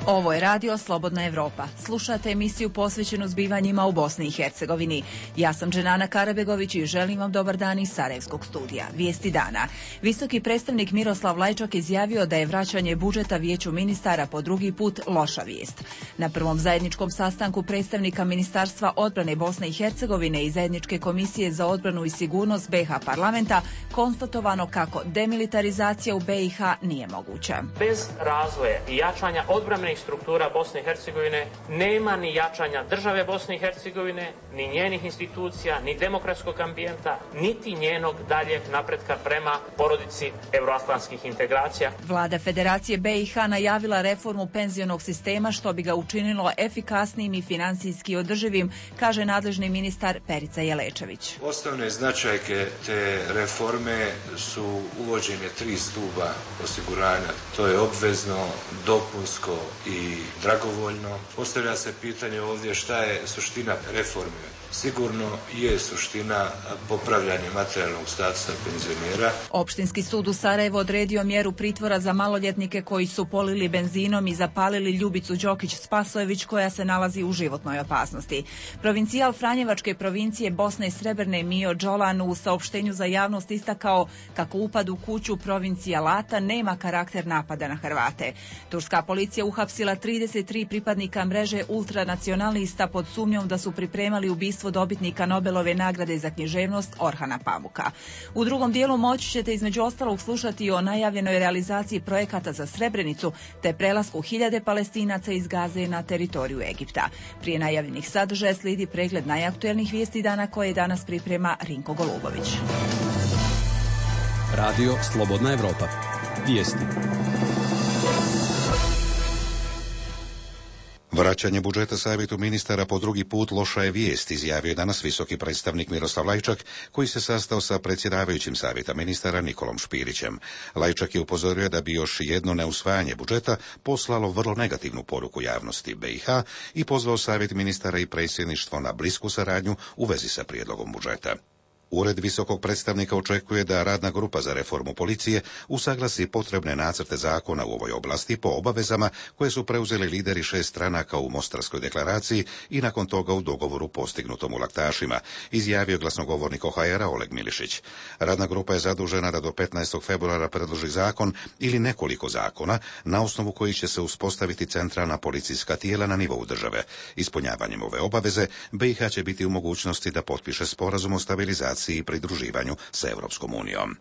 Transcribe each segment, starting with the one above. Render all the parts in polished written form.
Ovo je radio Slobodna Evropa. Slušate emisiju posvećenu zbivanjima u Bosni i Hercegovini. Ja sam Dženana Karabegović i želim vam dobar dan iz Sarajevskog studija. Vijesti dana. Visoki predstavnik Miroslav Lajčak izjavio da je vraćanje budžeta Vijeću ministara po drugi put loša vijest. Na prvom zajedničkom sastanku predstavnika Ministarstva odbrane Bosne i Hercegovine i Zajedničke komisije za odbranu i sigurnost BiH parlamenta konstatovano kako demilitarizacija u BiH nije moguća. Bez razvoja i jačanja odbrambenih struktura Bosne i Hercegovine nema ni jačanja države Bosne i Hercegovine, ni njenih institucija, ni demokratskog ambijenta, niti njenog daljeg napretka prema porodici euroatlantskih integracija. Vlada Federacije BiH najavila reformu penzionog sistema što bi ga učinilo efikasnijim i financijski održivim, kaže nadležni ministar Perica Jelečević. Osnovne značajke te reforme su uvođenje 3 stuba osiguranja. To je obvezno, dopunsko i dragovoljno. Postavlja se pitanje ovdje šta je suština reforme. Sigurno je suština popravljanje materijalnog statusa penzionera. Opštinski sud u Sarajevu odredio mjeru pritvora za maloljetnike koji su polili benzinom i zapalili Ljubicu Đokić-Spasojević koja se nalazi u životnoj opasnosti. Provincijal Franjevačke provincije Bosne i Srebrne Mio Đolan u saopštenju za javnost istakao kako upad u kuću provinциjalata nema karakter napada na Hrvate. Turska policija uhapsila 33 pripadnika mreže ultranacionalista pod sumnjom da su pripremali ubistvo dobitnika Nobelove nagrade za književnost Orhana Pamuka. U drugom dijelu moći ćete između ostalog slušati o najavljenoj realizaciji projekata za Srebrenicu te prelasku 1000 Palestinaca iz Gaze na teritoriju Egipta. Prije najavljenih sadržaja slijedi pregled najaktuelnijih vijesti dana koje danas priprema Rinko Golubović. Radio Slobodna Evropa. Vijesti. Vraćanje budžeta savjetu ministara po drugi put loša je vijest, izjavio je danas visoki predstavnik Miroslav Lajčak, koji se sastao sa predsjedavajućim savjeta ministara Nikolom Špirićem. Lajčak je upozorio da bi još jedno neusvajanje budžeta poslalo vrlo negativnu poruku javnosti BiH i pozvao savjet ministara i predsjedništvo na blisku saradnju u vezi sa prijedlogom budžeta. Ured visokog predstavnika očekuje da radna grupa za reformu policije usaglasi potrebne nacrte zakona u ovoj oblasti po obavezama koje su preuzeli lideri 6 stranaka u Mostarskoj deklaraciji i nakon toga u dogovoru postignutom u Laktašima, izjavio glasnogovornik OHR-a Oleg Milišić. Radna grupa je zadužena da do 15. februara predloži zakon ili nekoliko zakona na osnovu kojih će se uspostaviti centralna policijska tijela na nivou države. Ispunjavanjem ove obaveze BiH će biti u mogućnosti da potpiše sporazum o stabilizaciji i pridruživanju sa Europskom unijom.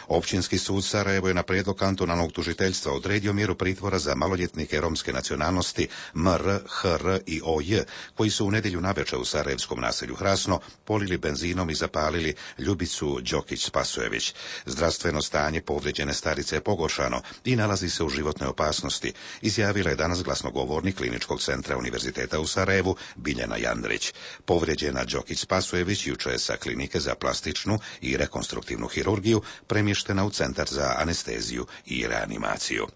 Općinski sud Sarajevo je na prijedlog kantonalnog tužiteljstva odredio mjeru pritvora za maloljetnike romske nacionalnosti MR, HR i OJ, koji su u nedjelju navečer u sarajevskom naselju Hrasno polili benzinom i zapalili Ljubicu Đokić-Spasojević. Zdravstveno stanje povrijeđene starice je pogoršano i nalazi se u životnoj opasnosti, izjavila je danas glasnogovornik Kliničkog centra Univerziteta u Sarajevu Biljana Jandrić. Povrijeđena Đokić-Spasojević jučer je sa klinike za plastičnu i rekonstruktivnu hirurgiju premještena u centar za anesteziju i reanimaciju.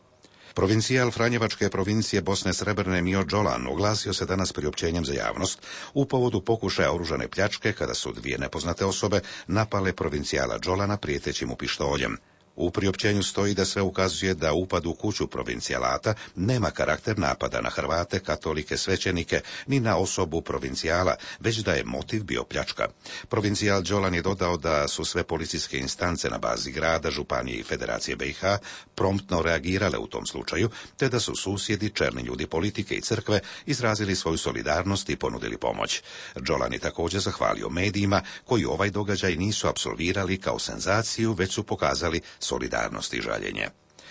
Provincijal Franjevačke provincije Bosne Srebrne Mio Đolan oglasio se danas priopćenjem za javnost u povodu pokušaja oružane pljačke kada su 2 nepoznate osobe napale provincijala Đolana prijeteći mu pištoljem. U priopćenju stoji da sve ukazuje da upad u kuću provincijalata nema karakter napada na Hrvate, katolike, svećenike, ni na osobu provincijala, već da je motiv bio pljačka. Provincijal Đolan je dodao da su sve policijske instance na bazi grada, županije i Federacije BiH promptno reagirale u tom slučaju, te da su susjedi, čelni ljudi politike i crkve izrazili svoju solidarnost i ponudili pomoć. Đolan je također zahvalio medijima koji ovaj događaj nisu apsolvirali kao senzaciju, već su pokazali solidarnost i žaljenje.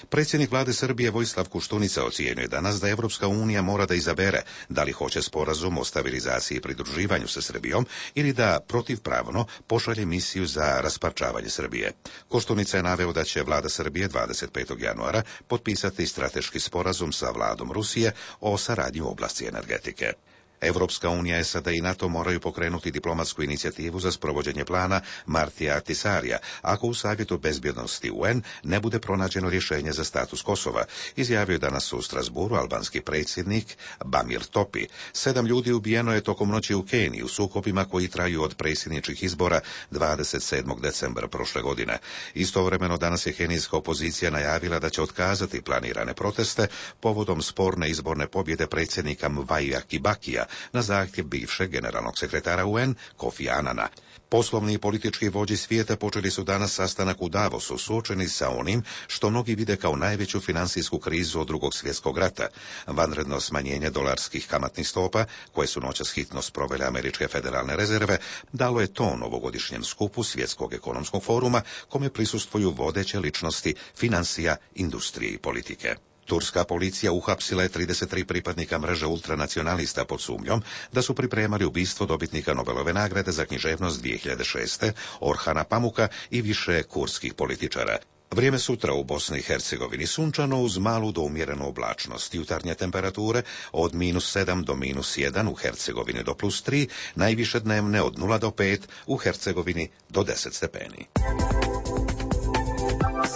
Predsjednik vlade Srbije Vojislav Koštunica ocijenio je danas da Evropska unija mora da izabere da li hoće sporazum o stabilizaciji i pridruživanju sa Srbijom ili da protivpravno pošalje misiju za rasparčavanje Srbije. Koštunica je naveo da će vlada Srbije 25. januara potpisati strateški sporazum sa vladom Rusije o saradnji u oblasti energetike. Evropska unija, SAD i NATO moraju pokrenuti diplomatsku inicijativu za sprovođenje plana Martija Ahtisarija, ako u Savjetu bezbjednosti UN ne bude pronađeno rješenje za status Kosova, izjavio je danas u Strasburu albanski predsjednik Bamir Topi. 7 ljudi ubijeno je tokom noći u Keniji u sukobima koji traju od predsjedničkih izbora 27. decembra prošle godine. Istovremeno danas je kenijska opozicija najavila da će otkazati planirane proteste povodom sporne izborne pobjede predsjednika Mwaia Kibakija na zahtjev bivšeg generalnog sekretara UN Kofi Anana. Poslovni i politički vođi svijeta počeli su danas sastanak u Davosu, suočeni sa onim što mnogi vide kao najveću financijsku krizu od Drugog svjetskog rata. Vanredno smanjenje dolarskih kamatnih stopa, koje su noćas hitno sprovele američke federalne rezerve, dalo je ton ovogodišnjem skupu Svjetskog ekonomskog foruma, kome prisustvuju vodeće ličnosti financija, industrije i politike. Turska policija uhapsila je 33 pripadnika mreže ultranacionalista pod sumnjom da su pripremali ubistvo dobitnika Nobelove nagrade za književnost 2006. Orhana Pamuka i više kurskih političara. Vrijeme sutra u Bosni i Hercegovini sunčano uz malu do umjerenu oblačnost. Jutarnje temperature od -7 do -1, u Hercegovini do +3, najviše dnevne od 0 do 5, u Hercegovini do 10 stepeni.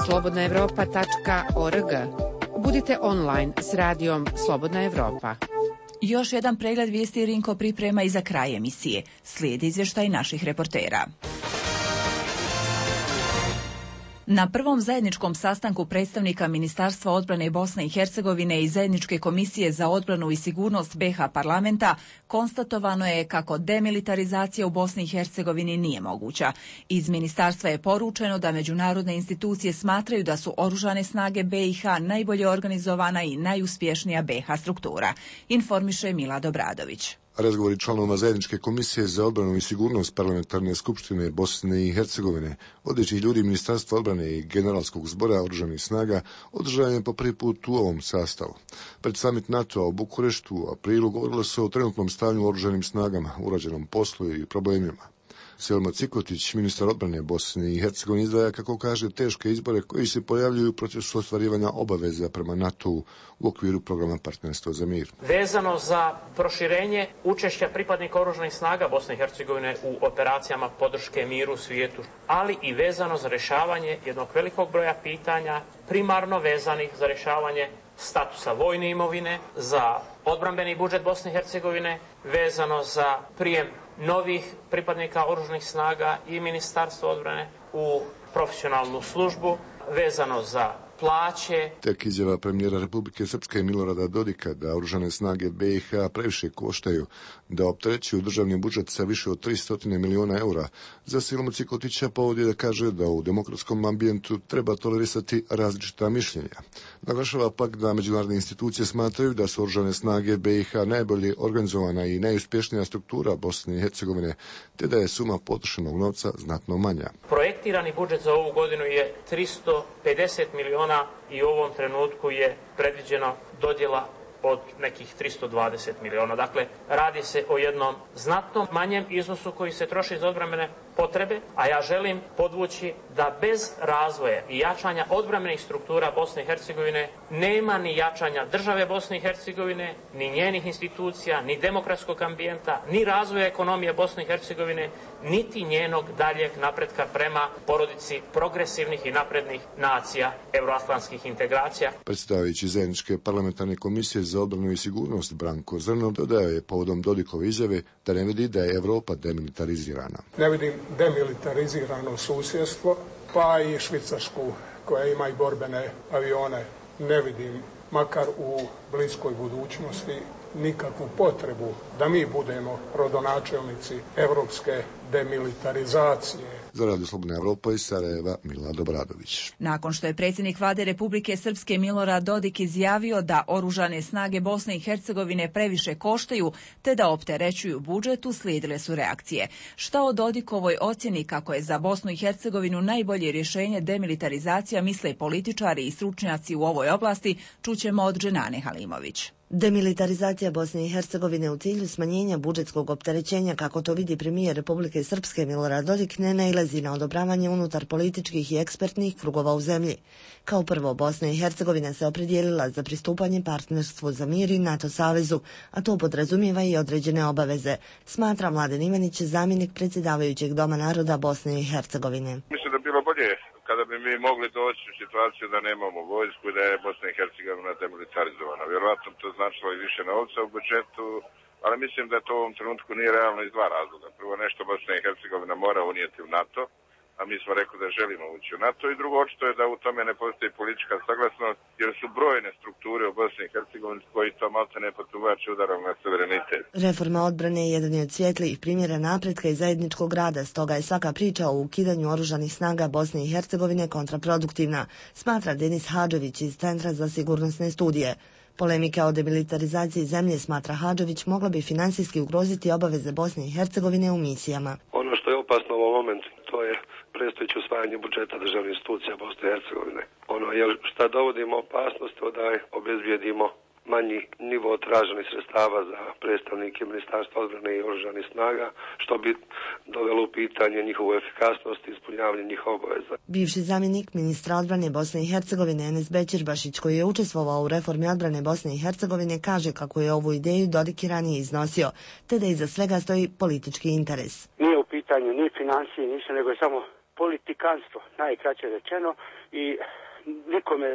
slobodnaevropa.org. Budite online s radijom Slobodna Evropa. Još jedan pregled vijesti Rinko priprema i za kraj emisije. Slijedi izvještaj naših reportera. Na prvom zajedničkom sastanku predstavnika Ministarstva odbrane Bosne i Hercegovine i Zajedničke komisije za odbranu i sigurnost BiH parlamenta konstatovano je kako demilitarizacija u Bosni i Hercegovini nije moguća. Iz ministarstva je poručeno da međunarodne institucije smatraju da su oružane snage BiH najbolje organizovana i najuspješnija BiH struktura, informiše Milad Obradović. Razgovori članova Zajedničke komisije za odbranu i sigurnost parlamentarne skupštine Bosne i Hercegovine, vodećih ljudi Ministarstva odbrane i Generalskog zbora oružanih snaga, održan je po prvi put u ovom sastavu. Pred samit NATO-a u Bukureštu u aprilu govorilo se o trenutnom stanju u oružanim snagama, urađenom poslu i problemima. Selma Cikotić, ministar odbrane Bosne i Hercegovine, izdvaja, kako kaže, teške izbore koji se pojavljuju u procesu ostvarivanja obaveza prema NATO-u u okviru programa Partnerstvo za mir. Vezano za proširenje učešća pripadnika oružanih snaga Bosne i Hercegovine u operacijama podrške miru u svijetu, ali i vezano za rješavanje jednog velikog broja pitanja, primarno vezanih za rješavanje statusa vojne imovine, za odbrambeni budžet Bosne i Hercegovine, vezano za prijem novih pripadnika oružanih snaga i Ministarstva odbrane u profesionalnu službu, vezano za plaće. Tek izjava premijera Republike Srpske Milorada Dodika da oružane snage BiH previše koštaju, da opterećuju državni budžet sa više od 300 miliona eura, za Selmu Cikotića povod je da kaže da u demokratskom ambijentu treba tolerisati različita mišljenja. Naglašava pak da međunarodne institucije smatraju da su oružane snage BiH najbolje organizovana i najuspješnija struktura Bosne i Hercegovine, te da je suma potrošenog novca znatno manja. Projektirani budžet za ovu godinu je 350 miliona i u ovom trenutku je predviđena dodjela od nekih 320 miliona. Dakle, radi se o jednom znatno manjem iznosu koji se troši za odbrambene potrebe, a ja želim podvući da bez razvoja i jačanja odbrambenih struktura Bosne i Hercegovine nema ni jačanja države Bosne i Hercegovine, ni njenih institucija, ni demokratskog ambijenta, ni razvoja ekonomije Bosne i Hercegovine, niti njenog daljeg napretka prema porodici progresivnih i naprednih nacija euroatlantskih integracija. Predsjedavajući Zajedničke parlamentarne komisije za odbranu i sigurnost Branko Zrno dodao je povodom Dodikove izjave da ne vidi da je Evropa demilitarizirana. Ne vidim demilitarizirano susjedstvo, pa i Švicarsku koja ima i borbene avione. Ne vidim, makar u bliskoj budućnosti, nikakvu potrebu da mi budemo rodonačelnici evropske demilitarizacije. Za Radio Slobodna Evropa iz Sarajeva, Milad Obradović. Nakon što je predsjednik vlade Republike Srpske Milorad Dodik izjavio da oružane snage Bosne i Hercegovine previše koštaju te da opterećuju budžet, uslijedile su reakcije. Šta o Dodikovoj ocjeni kako je za Bosnu i Hercegovinu najbolje rješenje demilitarizacija misle političari i stručnjaci u ovoj oblasti, čućemo od Dženane Halimović. Demilitarizacija Bosne i Hercegovine u cilju smanjenja budžetskog opterećenja, kako to vidi premijer Republike Srpske Milorad Dodik, ne nailazi na odobravanje unutar političkih i ekspertnih krugova u zemlji. Kao prvo, Bosna i Hercegovina se opredijelila za pristupanje partnerstvu za mir i NATO savezu, a to podrazumijeva i određene obaveze, smatra Mladen Ivanić, zamjenik predsjedavajućeg Doma naroda Bosne i Hercegovine. Mislim da bi bilo bolje kada bi mi mogli doći u situaciju da nemamo vojsku i da je Bosna i Hercegovina demilitarizovana. Vjerovatno to značilo i više novca u budžetu, ali mislim da to u ovom trenutku nije realno iz dva razloga. Prvo, nešto Bosna i Hercegovina mora unijeti u NATO, a mi smo rekli da želimo ući u NATO, i drugo, očito je da u tome ne postoji politička saglasnost, jer su brojne strukture u Bosni i Hercegovini koji to malte ne potuvače udarom na suverenitet. Reforma odbrane je jedan od svjetlijih primjera napretka i zajedničkog rada, stoga je svaka priča o ukidanju oružanih snaga Bosne i Hercegovine kontraproduktivna, smatra Denis Hadžović iz Centra za sigurnosne studije. Polemika o demilitarizaciji zemlje, smatra Hadžović, mogla bi finansijski ugroziti obaveze Bosne i Hercegovine u misijama. Ono što je opasno u ovom momentu, to je predstojeće usvajanje budžeta državnih institucija Bosne i Hercegovine. Šta dovodimo opasnost da obezbijedimo manji nivo traženih sredstava za predstavnike Ministarstva odbrane i oružanih snaga, što bi dovelo u pitanje njihovu efikasnost i ispunjavanje njihovih obaveza. Bivši zamjenik ministra odbrane Bosne i Hercegovine Enes Bećirbašić, koji je učestvovao u reformi odbrane Bosne i Hercegovine, kaže kako je ovu ideju Dodik i ranije iznosio, te da iza svega stoji politički interes. Nije u pitanju ni financije, ništa, nego je samo politikanstvo, najkraće rečeno, i nikome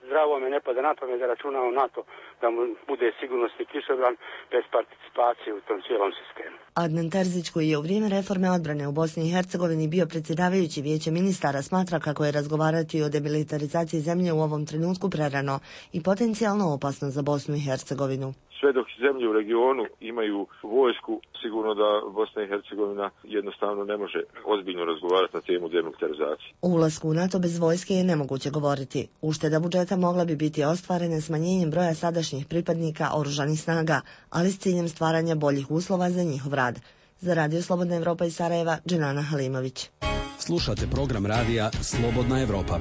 zdravo me ne pada na pamet da računa o NATO da mu bude sigurnosni kišobran bez participacije u tom cijelom sistemu. Adnan Terzić, koji je u vrijeme reforme odbrane u Bosni i Hercegovini bio predsjedavajući Vijeće ministara, smatra kako je razgovarati o demilitarizaciji zemlje u ovom trenutku prerano i potencijalno opasno za Bosnu i Hercegovinu. Sve dok zemlje u regionu imaju vojsku, sigurno da Bosna i Hercegovina jednostavno ne može ozbiljno razgovarati na temu demilitarizacije. O ulasku u NATO bez vojske je nemoguće govoriti. Ušteda budžeta mogla bi biti ostvarena smanjenjem broja sadašnjih pripadnika oružanih snaga, ali s ciljem stvaranja boljih uslova za njihov rad. Za Radio Slobodna Evropa iz Sarajeva, Dženana Halimović. Slušate program radija Slobodna Evropa.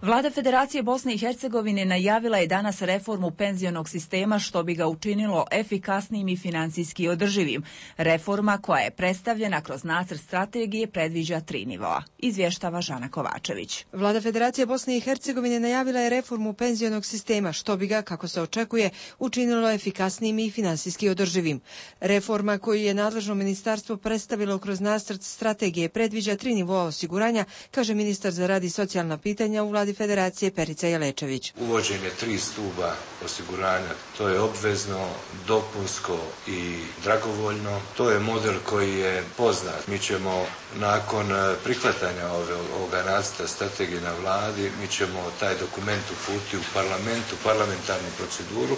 Vlada Federacije Bosne i Hercegovine najavila je danas reformu penzionog sistema, što bi ga učinilo efikasnijim i financijski održivim. Reforma, koja je predstavljena kroz nacrt strategije, predviđa 3 nivoa. Izvještava Žana Kovačević. Vlada Federacije Bosne i Hercegovine najavila je reformu penzionog sistema, što bi ga, kako se očekuje, učinilo efikasnijim i finansijski održivim. Reforma koju je nadležno ministarstvo predstavilo kroz nacrt strategije predviđa 3 nivoa osiguranja, kaže ministar za rad i socijalna pitanja u Vladi Federacije Perica Jelečević. Uvođenje 3 stuba osiguranja, to je obvezno, dopunsko i dragovoljno. To je model koji je poznat. Mi ćemo nakon prihvatanja ovoga nacrta strategije na vladi, mi ćemo taj dokument uputiti u parlamentarnu proceduru,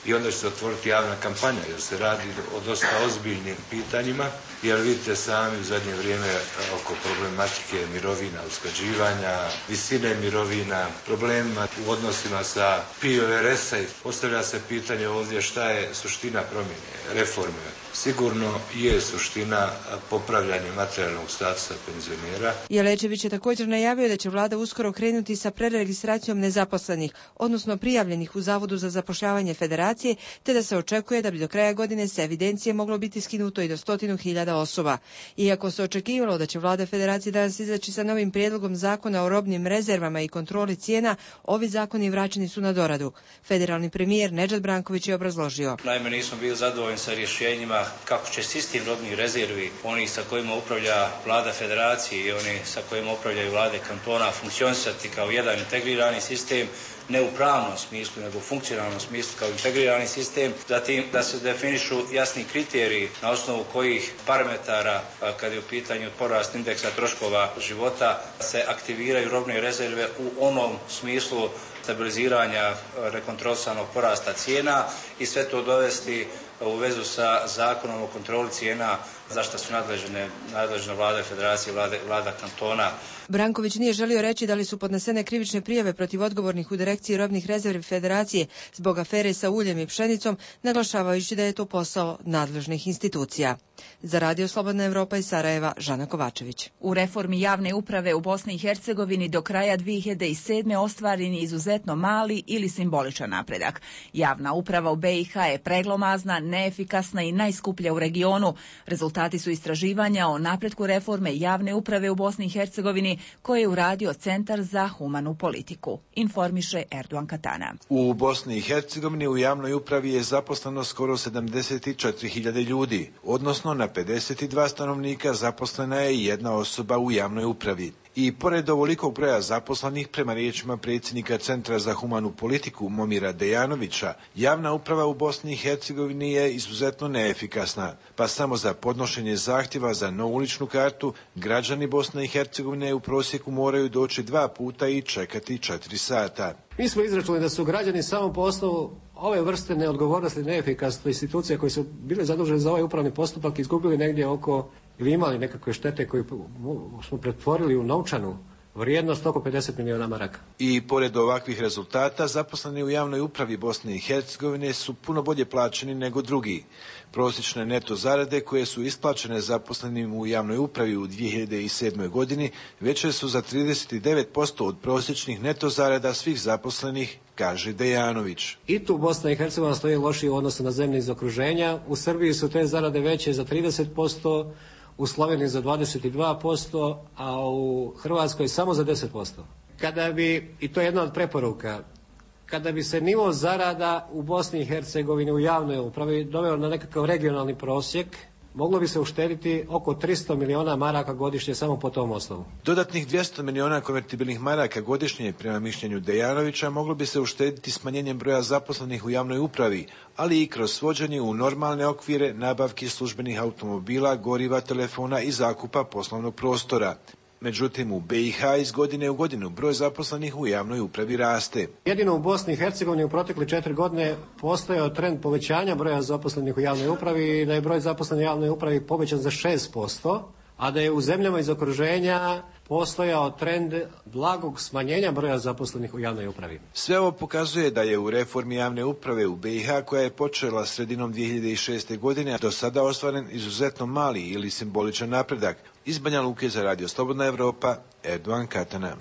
i onda će se otvoriti javna kampanja, jer se radi o dosta ozbiljnim pitanjima, jer vidite sami u zadnje vrijeme oko problematike mirovina, usklađivanja, visine mirovina, problemima u odnosima sa PIO-RS-a. Postavlja se pitanje ovdje šta je suština promjene, reforme. Sigurno je suština popravljanje materijalnog statusa penzionera. Jelečević je također najavio da će vlada uskoro krenuti sa preregistracijom nezaposlenih, odnosno prijavljenih u Zavodu za zapošljavanje Federacije, te da se očekuje da bi do kraja godine sa evidencije moglo biti skinuto i do 100.000 osoba. Iako se očekivalo da će vlada Federacije danas izaći sa novim prijedlogom zakona o robnim rezervama i kontroli cijena, ovi zakoni vraćeni su na doradu. Federalni premijer Nedžad Branković je obrazložio. Naime, nismo bili zadovoljni sa rješenjima kako će sistem robnih rezervi, oni sa kojima upravlja vlada Federacije i oni sa kojima upravljaju vlade kantona, funkcionisati kao jedan integrirani sistem, ne u pravnom smislu, nego u funkcionalnom smislu kao integrirani sistem. Zatim da se definišu jasni kriteriji na osnovu kojih parametara, kad je u pitanju porast indeksa troškova života, se aktiviraju robne rezerve u onom smislu stabiliziranja rekontrolisanog porasta cijena i sve to dovesti u vezu sa zakonom o kontroli cijena za što su nadležna vlada federacije, vlada kantona. Branković nije želio reći da li su podnesene krivične prijave protiv odgovornih u direkciji robnih rezervi federacije zbog afere sa uljem i pšenicom, naglašavajući da je to posao nadležnih institucija. Za Radio Slobodna Evropa iz Sarajeva, Žana Kovačević. U reformi javne uprave u Bosni i Hercegovini do kraja 2007. ostvaren je izuzetno mali ili simboličan napredak. Javna uprava u BiH je preglomazna, neefikasna i najskuplja u regionu. Rezultati su istraživanja o napretku reforme javne uprave u Bosni i Hercegovini koje je uradio Centar za humanu politiku. Informiše Erdogan Katana. U Bosni i Hercegovini u javnoj upravi je zaposleno skoro 74.000 ljudi, odnosno na 52 stanovnika zaposlena je jedna osoba u javnoj upravi. I pored ovolikog broja zaposlenih, prema riječima predsjednika Centra za humanu politiku Momira Dejanovića, javna uprava u Bosni i Hercegovini je izuzetno neefikasna, pa samo za podnošenje zahtjeva za novu ličnu kartu građani Bosne i Hercegovine u prosjeku moraju doći 2 puta i čekati 4 sata. Mi smo izračunali da su građani samo po osnovu ove vrste neodgovornosti i neefikasnosti institucija koji su bile zadužene za ovaj upravni postupak izgubili negdje oko, ili imali nekakve štete koje smo pretvorili u novčanu vrijednost oko 50 miliona maraka. I pored ovakvih rezultata, zaposleni u javnoj upravi Bosne i Hercegovine su puno bolje plaćeni nego drugi. Prosječne neto zarade koje su isplaćene zaposlenim u javnoj upravi u 2007. godini veće su za 39% od prosječnih neto zarada svih zaposlenih, kaže Dejanović. I tu Bosna i Hercegovina stoji lošije u odnosu na zemlje iz okruženja. U Srbiji su te zarade veće za 30%, u Sloveniji za 22%, a u Hrvatskoj samo za 10%. Kada bi, i to je jedna od preporuka, kada bi se nivo zarada u Bosni i Hercegovini u javnoj upravi doveo na nekakav regionalni prosjek, moglo bi se uštediti oko 300 miliona maraka godišnje samo po tom osnovu. Dodatnih 200 miliona konvertibilnih maraka godišnje, prema mišljenju Dejanovića, moglo bi se uštediti smanjenjem broja zaposlenih u javnoj upravi, ali i kroz svođenje u normalne okvire nabavki službenih automobila, goriva, telefona i zakupa poslovnog prostora. Međutim, u BiH iz godine u godinu broj zaposlenih u javnoj upravi raste. Jedino u Bosni i Hercegovini u protekle 4 godine postojao trend povećanja broja zaposlenih u javnoj upravi i da je broj zaposlenih u javnoj upravi povećan za 6%, a da je u zemljama iz okruženja postojao trend blagog smanjenja broja zaposlenih u javnoj upravi. Sve ovo pokazuje da je u reformi javne uprave u BiH, koja je počela sredinom 2006. godine, do sada ostvaren izuzetno mali ili simboličan napredak. Iz Banja Luke za Radio Slobodna Evropa, Erdogan Katana.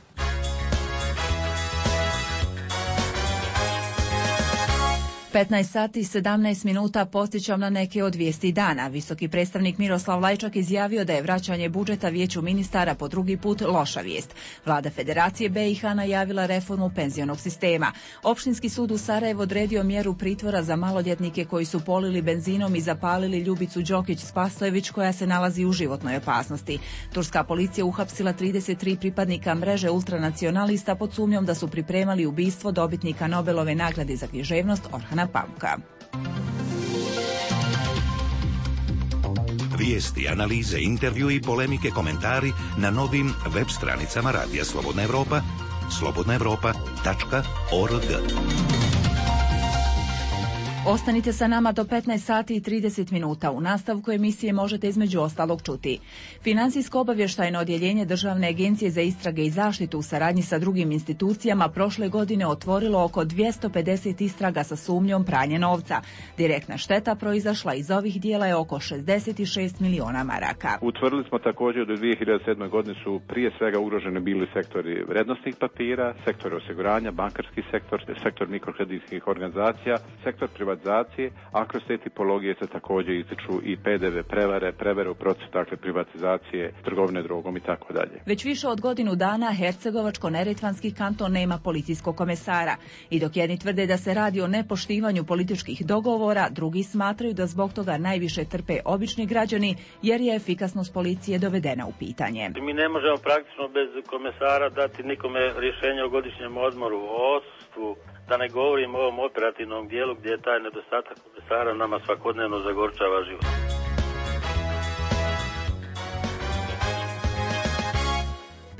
15 sati i 17 minuta postićam na neke od vijesti dana. Visoki predstavnik Miroslav Lajčak izjavio da je vraćanje budžeta Vijeću ministara po drugi put loša vijest. Vlada Federacije BiH najavila reformu penzionog sistema. Opštinski sud u Sarajevu odredio mjeru pritvora za maloljetnike koji su polili benzinom i zapalili Ljubicu Đokić-Spasojević koja se nalazi u životnoj opasnosti. Turska policija uhapsila 33 pripadnika mreže ultranacionalista pod sumnjom da su pripremali ubistvo dobitnika Nobelove nagrade za književnost Orhana Pamuka. Vijesti, analize, intervju i polemike, komentari na novim web stranicama Radija Slobodna Evropa, slobodnaevropa.org. Ostanite sa nama do 15 sati i 30 minuta. U nastavku emisije možete između ostalog čuti. Financijsko obavještajno odjeljenje Državne agencije za istrage i zaštitu u saradnji sa drugim institucijama prošle godine otvorilo oko 250 istraga sa sumnjom pranja novca. Direktna šteta proizašla iz ovih dijela je oko 66 miliona maraka. Utvrdili smo također da u 2007. godini su prije svega ugroženi bili sektori vrednosnih papira, sektor osiguranja, bankarski sektor, sektor mikrokreditnih organizacija, sektor privatizacije, a kroz te tipologije se također ističu i PDV prevare u procesu privatizacije, trgovine drogom i tako dalje. Već više od godinu dana Hercegovačko-neretvanski kanton nema policijskog komesara. I dok jedni tvrde da se radi o nepoštivanju političkih dogovora, drugi smatraju da zbog toga najviše trpe obični građani jer je efikasnost policije dovedena u pitanje. Mi ne možemo praktično bez komesara dati nikome rješenje o godišnjem odmoru, o odsustvu. Da ne govorim o ovom operativnom dijelu gdje je taj nedostatak komesara nama svakodnevno zagorčava život.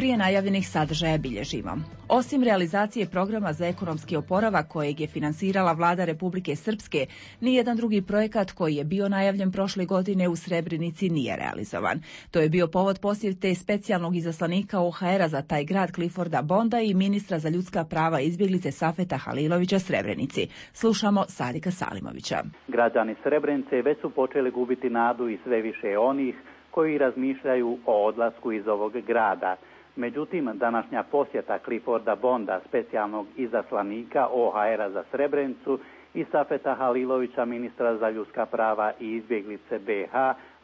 prije najavljenih sadržaja bilježimo. Osim realizacije programa za ekonomski oporavak kojeg je finansirala vlada Republike Srpske, nijedan drugi projekat koji je bio najavljen prošle godine u Srebrenici nije realizovan. To je bio povod posjete specijalnog izaslanika OHR-a za taj grad Clifforda Bonda i ministra za ljudska prava i izbjeglice Safeta Halilovića Srebrenici. Slušamo Sadika Salimovića. Građani Srebrenice već su počeli gubiti nadu i sve više onih koji razmišljaju o odlasku iz ovog grada. Međutim, današnja posjeta Clifforda Bonda, specijalnog izaslanika OHR-a za Srebrenicu, i Safeta Halilovića, ministra za ljudska prava i izbjeglice BiH,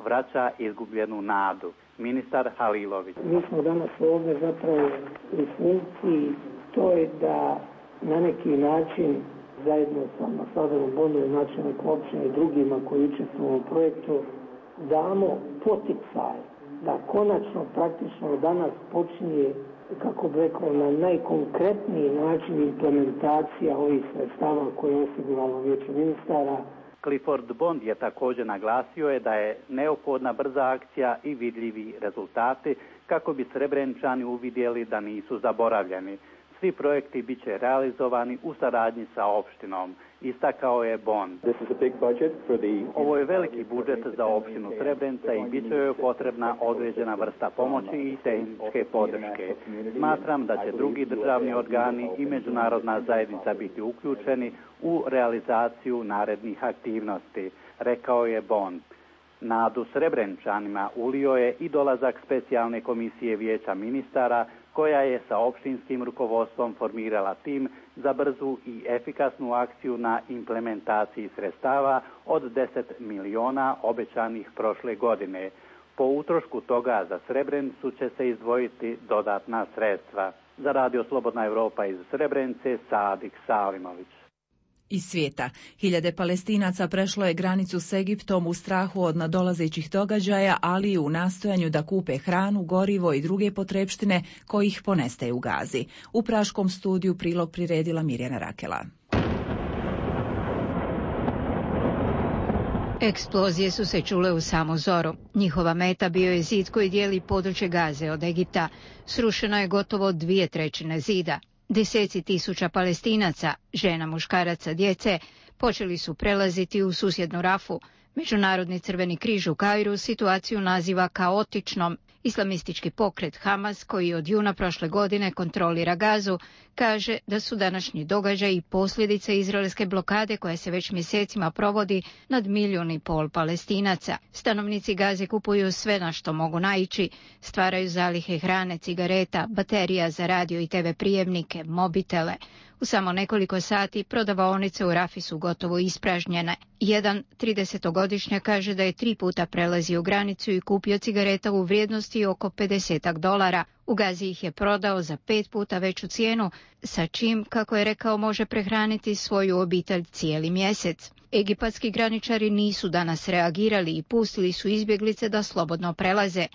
vraća izgubljenu nadu. Ministar Halilović. Mi smo danas ovdje zapravo u funkciji, to je da na neki način zajedno sa ambasadorom Bondom, načelnikom općine i drugima koji učestvuju u ovom projektu damo poticaj da konačno praktično danas počinje, kako bi rekao, na najkonkretniji način implementacija ovih sredstava koje je osiguralo Vijeće ministara. Clifford Bond je također naglasio da je neophodna brza akcija i vidljivi rezultati kako bi Srebreničani uvidjeli da nisu zaboravljeni. Svi projekti bit će realizovani u saradnji sa opštinom, istakao je Bond. Ovo je veliki budžet za opštinu Srebrenica i bit će joj potrebna određena vrsta pomoći i tehničke podrške. Smatram da će drugi državni organi i međunarodna zajednica biti uključeni u realizaciju narednih aktivnosti, rekao je Bond. Nadu Srebreničanima ulio je i dolazak specijalne komisije Vijeća ministara koja je sa opštinskim rukovodstvom formirala tim za brzu i efikasnu akciju na implementaciji sredstava od 10 miliona obećanih prošle godine. Po utrošku toga za Srebrenicu će se izdvojiti dodatna sredstva. Za Radio Slobodna Evropa iz Srebrenice, Sadik Salimović. Iz svijeta. Hiljade Palestinaca prešlo je granicu s Egiptom u strahu od nadolazećih događaja, ali i u nastojanju da kupe hranu, gorivo i druge potrepštine kojih ponestaje u Gazi. U praškom studiju prilog priredila Mirjana Rakela. Eksplozije su se čule u samu zoru. Njihova meta bio je zid koji dijeli područje Gaze od Egipta. Srušeno je gotovo 2/3 zida. Deseci tisuća Palestinaca, žena, muškaraca, djece, počeli su prelaziti u susjednu Rafu. Međunarodni Crveni križ u Kairu situaciju naziva kaotičnom. Islamistički pokret Hamas, koji od juna prošle godine kontrolira Gazu, kaže da su današnji događaji posljedice izraelske blokade koja se već mjesecima provodi nad 1,5 milijuna Palestinaca. Stanovnici Gaze kupuju sve na što mogu naići, stvaraju zalihe hrane, cigareta, baterija za radio i TV prijemnike, mobitele. U samo nekoliko sati prodavaonice u Rafi su gotovo ispražnjene. Jedan 30-godišnjak kaže da je 3 puta prelazio granicu i kupio cigareta u vrijednosti oko $50. U Gazi ih je prodao za 5 puta veću cijenu, sa čim, kako je rekao, može prehraniti svoju obitelj cijeli mjesec. Egipatski graničari nisu danas reagirali i pustili su izbjeglice da slobodno prelaze.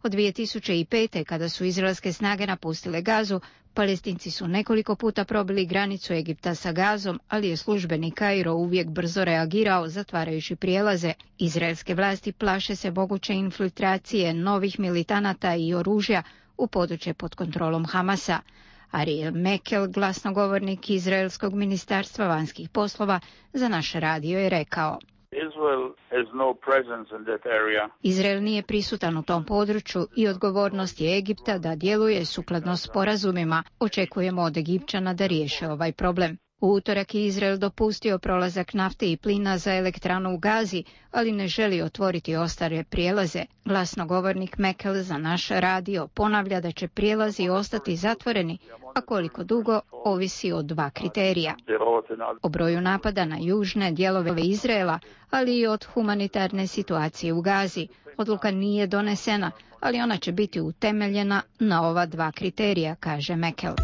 Od 2005. kada su izraelske snage napustile Gazu, Palestinci su nekoliko puta probili granicu Egipta sa Gazom, ali je službeni Kairo uvijek brzo reagirao, zatvarajući prijelaze. Izraelske vlasti plaše se moguće infiltracije novih militanata i oružja u područje pod kontrolom Hamasa. Ariel Mekel, glasnogovornik Izraelskog ministarstva vanjskih poslova, za naš radio je rekao: Izrael nije prisutan u tom području i odgovornost je Egipta da djeluje sukladno sporazumima. Očekujemo od Egipćana da riješe ovaj problem. U utorak je Izrael dopustio prolazak nafte i plina za elektranu u Gazi, ali ne želi otvoriti ostale prijelaze. Glasnogovornik Mekel za naš radio ponavlja da će prijelazi ostati zatvoreni, a koliko dugo ovisi od 2 kriterija. O broju napada na južne dijelove Izraela, ali i od humanitarne situacije u Gazi. Odluka nije donesena, ali ona će biti utemeljena na ova 2 kriterija, kaže Mekel.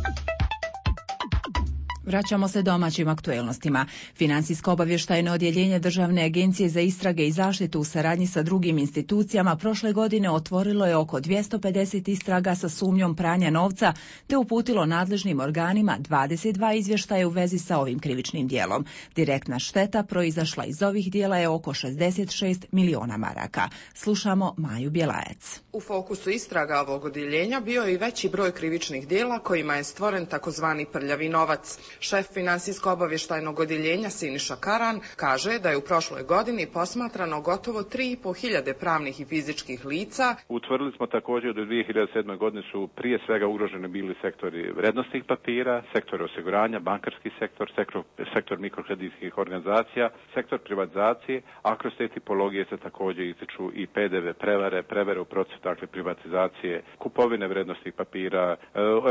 Vraćamo se domaćim aktuelnostima. Financijsko-obavještajno odjeljenje Državne agencije za istrage i zaštitu u saradnji sa drugim institucijama prošle godine otvorilo je oko 250 istraga sa sumnjom pranja novca te uputilo nadležnim organima 22 izvještaja u vezi sa ovim krivičnim djelom. Direktna šteta proizašla iz ovih djela je oko 66 miliona maraka. Slušamo Maju Bjelajac. U fokusu istraga ovog odjeljenja bio je i veći broj krivičnih djela kojima je stvoren takozvani prljavi novac. Šef financijsko-obavještajnog odjeljenja Siniša Karan kaže da je u prošloj godini posmatrano gotovo 3.500 pravnih i fizičkih lica. Utvrdili smo također da u 2007. godini su prije svega ugroženi bili sektori vrijednosnih papira, sektor osiguranja, bankarski sektor mikrokreditskih organizacija, sektor privatizacije, a kroz te tipologije se također ističu i PDV prevare u procesu privatizacije, kupovine vrijednosnih papira,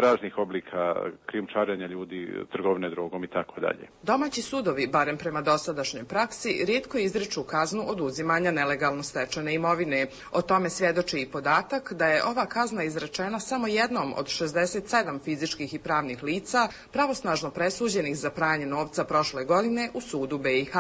raznih oblika krijumčarenja ljudi, trgovine drogom i tako dalje. Domaći sudovi, barem prema dosadašnjoj praksi, rijetko izriču kaznu oduzimanja nelegalno stečene imovine. O tome svjedoči i podatak da je ova kazna izrečena samo jednom od 67 fizičkih i pravnih lica pravosnažno presuđenih za pranje novca prošle godine u sudu BiH.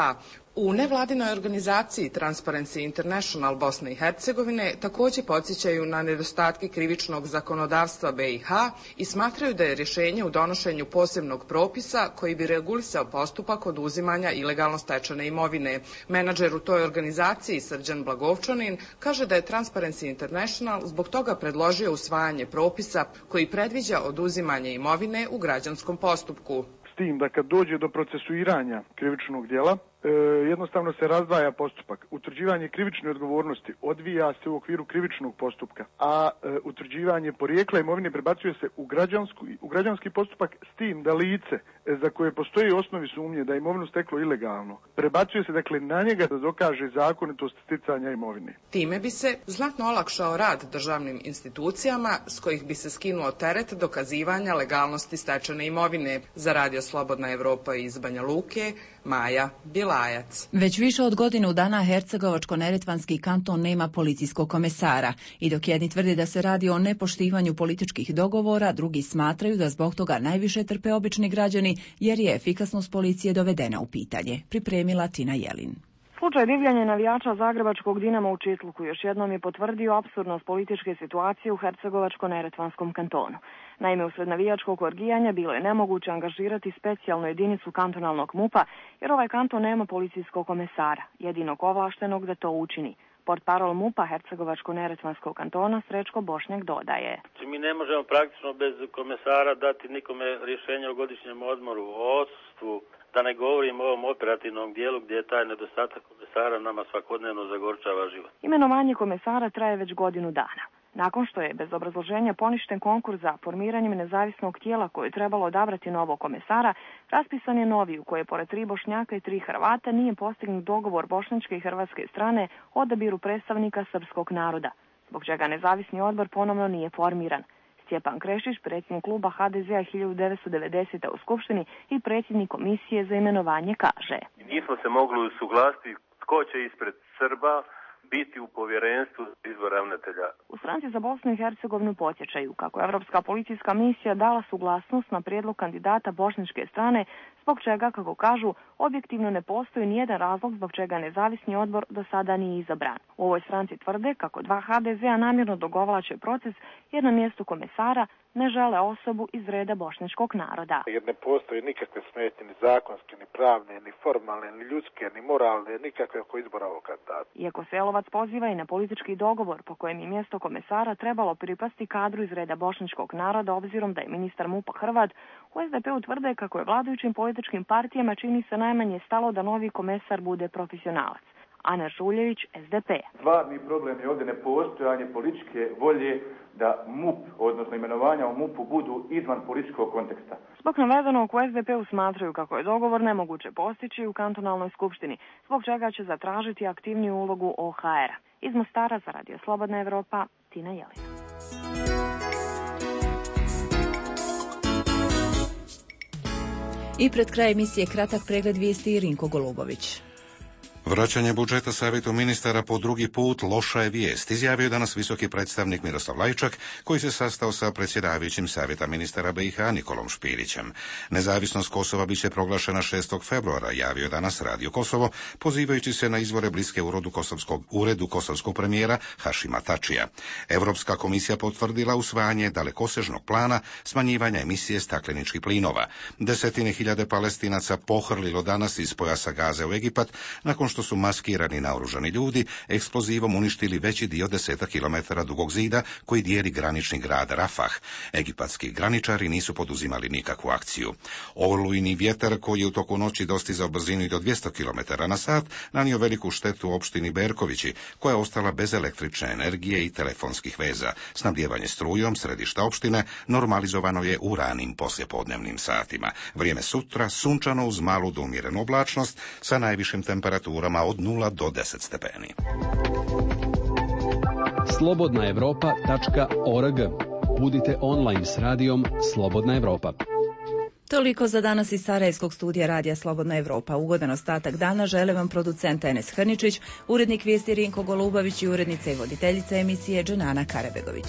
U nevladinoj organizaciji Transparency International Bosne i Hercegovine također podsjećaju na nedostatke krivičnog zakonodavstva BiH i smatraju da je rješenje u donošenju posebnog propisa koji bi regulisao postupak oduzimanja ilegalno stečene imovine. Menadžer u toj organizaciji Srđan Blagovčanin kaže da je Transparency International zbog toga predložio usvajanje propisa koji predviđa oduzimanje imovine u građanskom postupku. S tim da kad dođe do procesuiranja krivičnog djela, jednostavno se razdvaja postupak. Utvrđivanje krivične odgovornosti odvija se u okviru krivičnog postupka, a utvrđivanje porijekla imovine prebacuje se u građanski postupak, s tim da lice za koje postoji osnovi sumnje da je imovinu steklo ilegalno, prebacuje se dakle na njega da dokaže zakonitost sticanja imovine. Time bi se znatno olakšao rad državnim institucijama s kojih bi se skinuo teret dokazivanja legalnosti stečene imovine. Za Radio Slobodna Evropa iz Banja Luke, Maja Bjelajac. Već više od godinu dana Hercegovačko-neretvanski kanton nema policijskog komesara i dok jedni tvrde da se radi o nepoštivanju političkih dogovora, drugi smatraju da zbog toga najviše trpe obični građani jer je efikasnost policije dovedena u pitanje. Pripremila Tina Jelin. Slučaj divljanja navijača zagrebačkog Dinama u Čitluku još jednom je potvrdio apsurdnost političke situacije u Hercegovačko-neretvanskom kantonu. Naime, usred navijačkog orgijanja bilo je nemoguće angažirati specijalnu jedinicu kantonalnog MUP-a jer ovaj kanton nema policijskog komesara, jedinog ovlaštenog da to učini. Portparol MUP-a Hercegovačko-neretvanskog kantona Srećko Bošnjak dodaje. Mi ne možemo praktično bez komesara dati nikome rješenje o godišnjem odmoru, o odsustvu, da ne govorim o ovom operativnom dijelu gdje je taj nedostatak komesara nama svakodnevno zagorčava život. Imenovanje komesara traje već godinu dana. Nakon što je bez obrazloženja poništen konkurs za formiranjem nezavisnog tijela koje je trebalo odabrati novog komesara, raspisan je novi u koje pored 3 Bošnjaka i 3 Hrvata nije postignut dogovor bošnjačke i hrvatske strane o odabiru predstavnika srpskog naroda, zbog čega nezavisni odbor ponovno nije formiran. Stjepan Krešić, predsjednik kluba HDZ-a 1990. u Skupštini i predsjednik komisije za imenovanje, kaže: Nismo se mogli usuglasiti tko će ispred Srba biti u povjerenstvu izbor ravnatelja. U Stranci za Bosnu i Hercegovinu podsjećaju kako je Europska policijska misija dala suglasnost na prijedlog kandidata bošnjačke strane, zbog čega, kako kažu, objektivno ne postoji nijedan razlog zbog čega nezavisni odbor do sada nije izabran. U ovoj stranci tvrde kako 2 HDZ-a namjerno dogovlače proces jer na mjestu komesara ne žele osobu iz reda bošnjačkog naroda. Jer ne postoji nikakve smetnje, ni zakonske, ni pravne, ni formalne, ni ljudske, ni moralne, nikakve oko izbora ovog kandidata. Iako se Jelovac poziva i na politički dogovor po kojem je mjesto komesara trebalo pripasti kadru iz reda bošnjačkog naroda obzirom da je ministar MUP-a Hrvat, u SDP-u tvrde kako je vladajućim političkim partijama čini se najmanje stalo da novi komesar bude profesionalac. Ana Žuljević, SDP. Stvarni problem je ovdje nepostojanje političke volje da MUP, odnosno imenovanja u MUP-u, budu izvan političkog konteksta. Zbog navedenog u SDP-u smatraju kako je dogovor nemoguće postići u kantonalnoj skupštini, zbog čega će zatražiti aktivniju ulogu OHR-a. Iz Mostara za Radio Slobodna Evropa, Tina Jelina. I pred kraj emisije kratak pregled vijesti Rinko Golubović. Vraćanje budžeta savjetu ministara po drugi put loša je vijest, izjavio je danas visoki predstavnik Miroslav Lajčak, koji se sastao sa predsjedavajućim savjeta ministara BiH Nikolom Špirićem. Nezavisnost Kosova biće proglašena 6. februara, javio je danas Radio Kosovo, pozivajući se na izvore bliske uredu kosovskog premijera Hašima Tačija. Europska komisija potvrdila usvajanje dalekosežnog plana smanjivanja emisije stakleničkih plinova. Desetine hiljade Palestinaca pohrlilo danas iz pojasa Gaze u Egipat, nakon što su maskirani naoružani ljudi eksplozivom uništili veći dio 10 kilometara dugog zida koji dijeli granični grad Rafah. Egipatski graničari nisu poduzimali nikakvu akciju. Olujni vjetar koji je u toku noći dostizao brzinu i do 200 km na sat nanio veliku štetu opštini Berkovići, koja je ostala bez električne energije i telefonskih veza. Snabdijevanje strujom središta opštine normalizovano je u ranim poslijepodnevnim satima. Vrijeme sutra sunčano uz malu do umjerenu oblačnost sa najvišim temperaturama od 0 do 10 stepeni. Slobodnaevropa.org. Budite online s radijom Slobodna Evropa. Toliko za danas iz Sarajevskog studija Radija Slobodna Evropa. Ugodan ostatak dana žele vam producent Enes Hrničić, urednik vijesti Rinko Golubavić i urednica i voditeljica emisije Dženana Karabegović.